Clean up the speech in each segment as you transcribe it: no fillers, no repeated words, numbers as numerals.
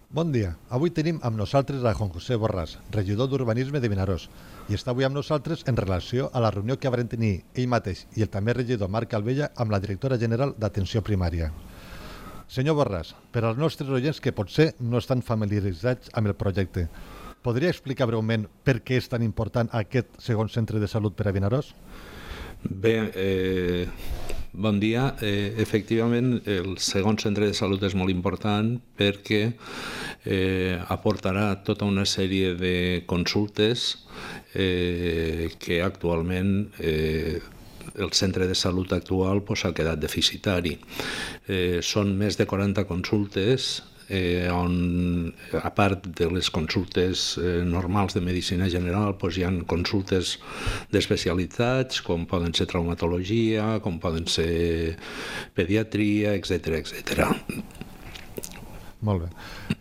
Bon dia. Avui tenim amb nosaltres a Juan José Borràs, regidor d'Urbanisme de Vinaròs, i està avui amb nosaltres en relació a la reunió que van tenir ell mateix i el també regidor Marc Calvella amb la directora general d'Atenció Primària. Senyor Borràs, per als nostres oients que potser no estan familiaritzats amb el projecte, podria explicar breument per què és tan important aquest segon centre de salut per a Vinaròs? Bé, bon dia. Efectivament, el segon centre de salut és molt important perquè aportarà tota una sèrie de consultes que actualment el centre de salut actual ha quedat deficitari. Són més de 40 consultes on, a part de les consultes normals de medicina general, hi ha consultes d'especialitats, com poden ser traumatologia, com poden ser pediatria, etc. Molt bé.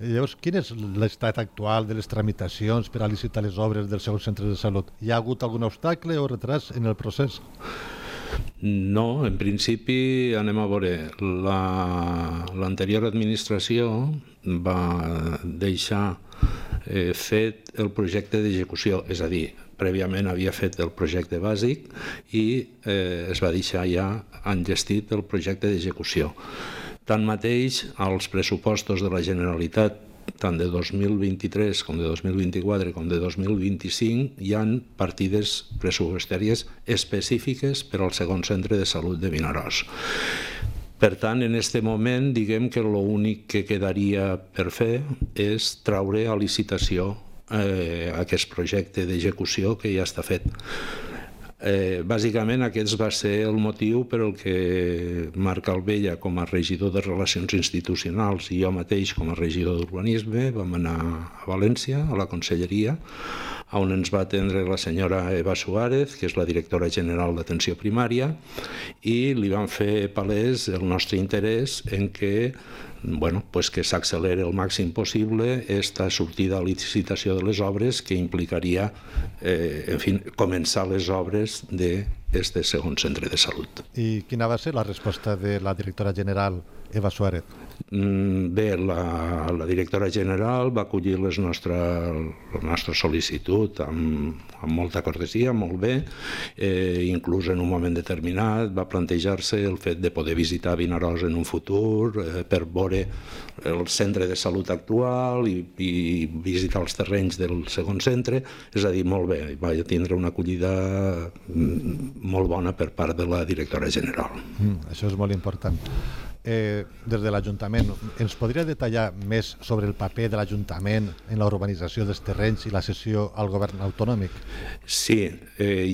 Llavors, quin és l'estat actual de les tramitacions per a licitar les obres del segon centre de salut? Hi ha hagut algun obstacle o retras en el procés? No, en principi anem a veure. L'anterior administració va deixar fet el projecte d'execució, és a dir, prèviament havia fet el projecte bàsic i es va deixar ja enllestit el projecte d'execució. Tanmateix, als pressupostos de la Generalitat, tant de 2023 com de 2024 com de 2025, hi ha partides pressupostàries específiques per al segon centre de salut de Vinaròs. Per tant, en aquest moment, diguem que l'únic que quedaria per fer és traure a licitació aquest projecte d'execució que ja està fet. Bàsicament aquest va ser el motiu per el que Marc Calvella, com a regidor de Relacions Institucionals, i jo mateix com a regidor d'Urbanisme vam anar a València, a la Conselleria, on ens va atendre la senyora Eva Suárez, que és la directora general d'Atenció Primària, i li vam fer palès el nostre interès en que que s'acceleri el màxim possible aquesta sortida a licitació de les obres que implicaria començar les obres d'aquest segon centre de salut. I quina va ser la resposta de la directora general Eva Suárez? Bé, la directora general va acollir la nostra sol·licitud amb molta cortesia, molt bé, inclús en un moment determinat va plantejar-se el fet de poder visitar Vinaròs en un futur per veure el centre de salut actual i visitar els terrenys del segon centre, és a dir, molt bé, va tindre una acollida molt bona per part de la directora general. Això és molt important. Des de l'Ajuntament, ens podria detallar més sobre el paper de l'Ajuntament en la urbanització dels terrenys i la cessió al govern autonòmic? Sí,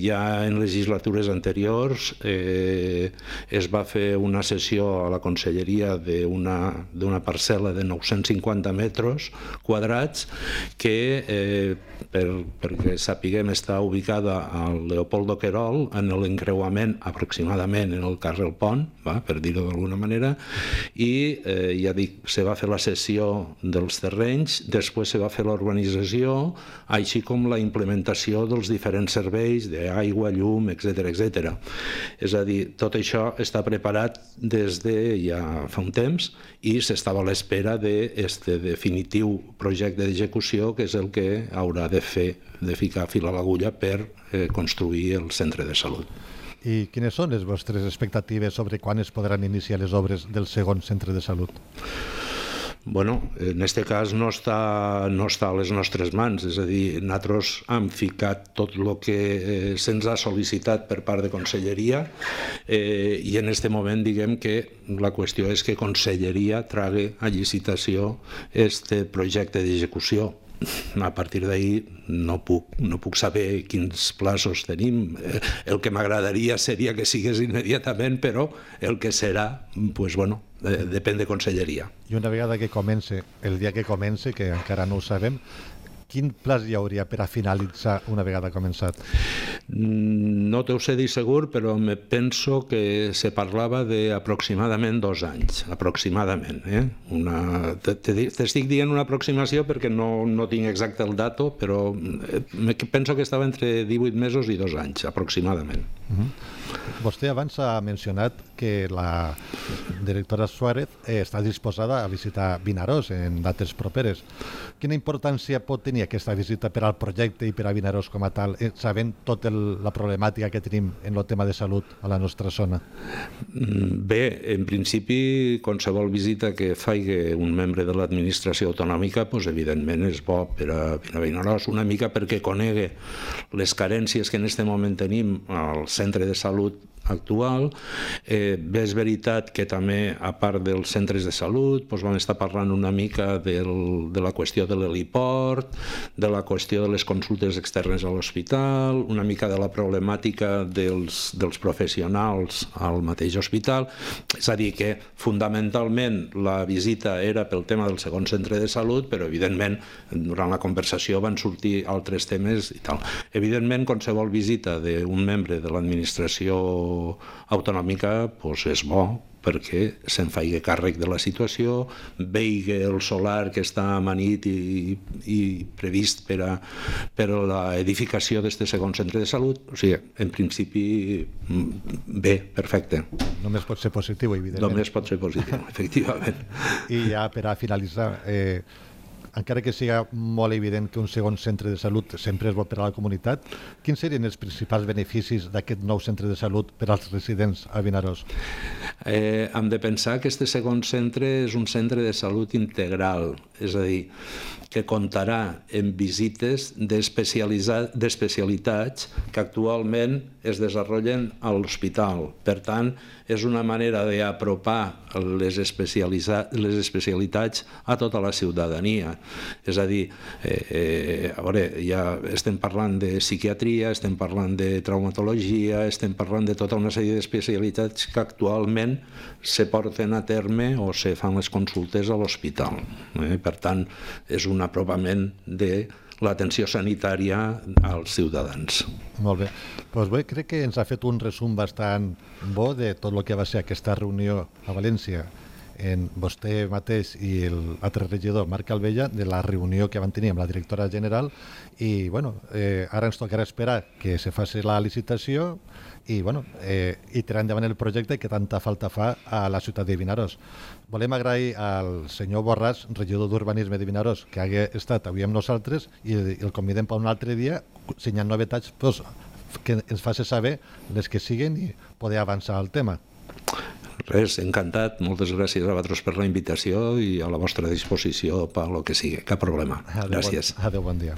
ja en legislatures anteriors es va fer una cessió a la Conselleria d'una parcel·la de 950 metres quadrats que, perquè sapiguem, està ubicada al Leopoldo Querol, en l'encreuament aproximadament en el carrer Pont, per dir-ho d'alguna manera, i ja dic, se va fer la cessió dels terrenys, després se va fer la urbanització, així com la implementació dels diferents serveis d'aigua, llum, etc. És a dir, tot això està preparat des de ja fa un temps i s'estava a l'espera d'aquest definitiu projecte d'execució, que és el que haurà de ficar fil a l'agulla per construir el centre de salut. I quines són les vostres expectatives sobre quan es podran iniciar les obres del segon centre de salut? Bueno, en aquest cas no està a les nostres mans, és a dir, nosaltres hem ficat tot el que se'ns ha sol·licitat per part de Conselleria i en aquest moment diguem que la qüestió és que Conselleria trague a licitació aquest projecte d'execució. A partir d'ahir no puc saber quins plazos tenim. El que m'agradaria seria que sigués immediatament, però el que serà, depèn de Conselleria. I una vegada que comence, el dia que comence, que encara no ho sabem, quin plaç hi hauria per a finalitzar una vegada començat? No t'ho sé dir segur, però me penso que se parlava d'aproximadament 2 anys, aproximadament. T'estic dient una aproximació perquè no tinc exacte el dato, però penso que estava entre 18 mesos i 2 anys, aproximadament. Vostè abans ha mencionat que la directora Suárez està disposada a visitar Vinaròs en dates properes. Quina importància pot tenir aquesta visita per al projecte i per a Vinaròs com a tal, sabent tota la problemàtica que tenim en el tema de salut a la nostra zona? Bé, en principi, qualsevol visita que faci un membre de l'administració autonòmica, evidentment és bo per a Vinaròs, una mica perquè conegui les carències que en aquest moment tenim al centre de salut actual. Bé, és veritat que també, a part dels centres de salut, vam estar parlant una mica de la qüestió de l'heliport, de la qüestió de les consultes externes a l'hospital, una mica de la problemàtica dels professionals al mateix hospital. És a dir, que fonamentalment la visita era pel tema del segon centre de salut, però evidentment durant la conversació van sortir altres temes i tal. Evidentment, qualsevol visita d'un membre de l'administració autonòmica és bo perquè se'n faci càrrec de la situació, vegi el solar que està amanit i previst per a l'edificació d'aquest segon centre de salut. O sigui, en principi, bé, perfecte. Només pot ser positiu, evidentment. Només pot ser positiu, efectivament. I ja per a finalitzar, encara que sigui molt evident que un segon centre de salut sempre és bo per a la comunitat, quins serien els principals beneficis d'aquest nou centre de salut per als residents a Vinaròs? Hem de pensar que aquest segon centre és un centre de salut integral, és a dir, que comptarà amb visites d'especialitats que actualment es desenvolupen a l'hospital. Per tant, és una manera d'apropar les especialitats a tota la ciutadania. És a dir, ja estem parlant de psiquiatria, estem parlant de traumatologia, estem parlant de tota una sèrie d'especialitats que actualment se porten a terme o se fan les consultes a l'hospital. Per tant, és un apropament de l'atenció sanitària als ciutadans. Molt bé. Doncs bé, crec que ens ha fet un resum bastant bo de tot el que va ser aquesta reunió a València en vostè mateix i l'altre regidor, Marc Calvella, de la reunió que van tenir amb la directora general i ara ens tocarà esperar que se faci la licitació i tirar endavant el projecte que tanta falta fa a la ciutat de Vinaròs. Volem agrair al senyor Borràs, regidor d'Urbanisme de Vinaròs, que hagi estat avui amb nosaltres i el convidem per un altre dia, si hi ha novetats, que ens faci saber les que siguen i poder avançar el tema. Res, encantat. Moltes gràcies a vosaltres per la invitació i a la vostra disposició per lo que sigui. Cap problema. Gràcies. Adéu, bon dia.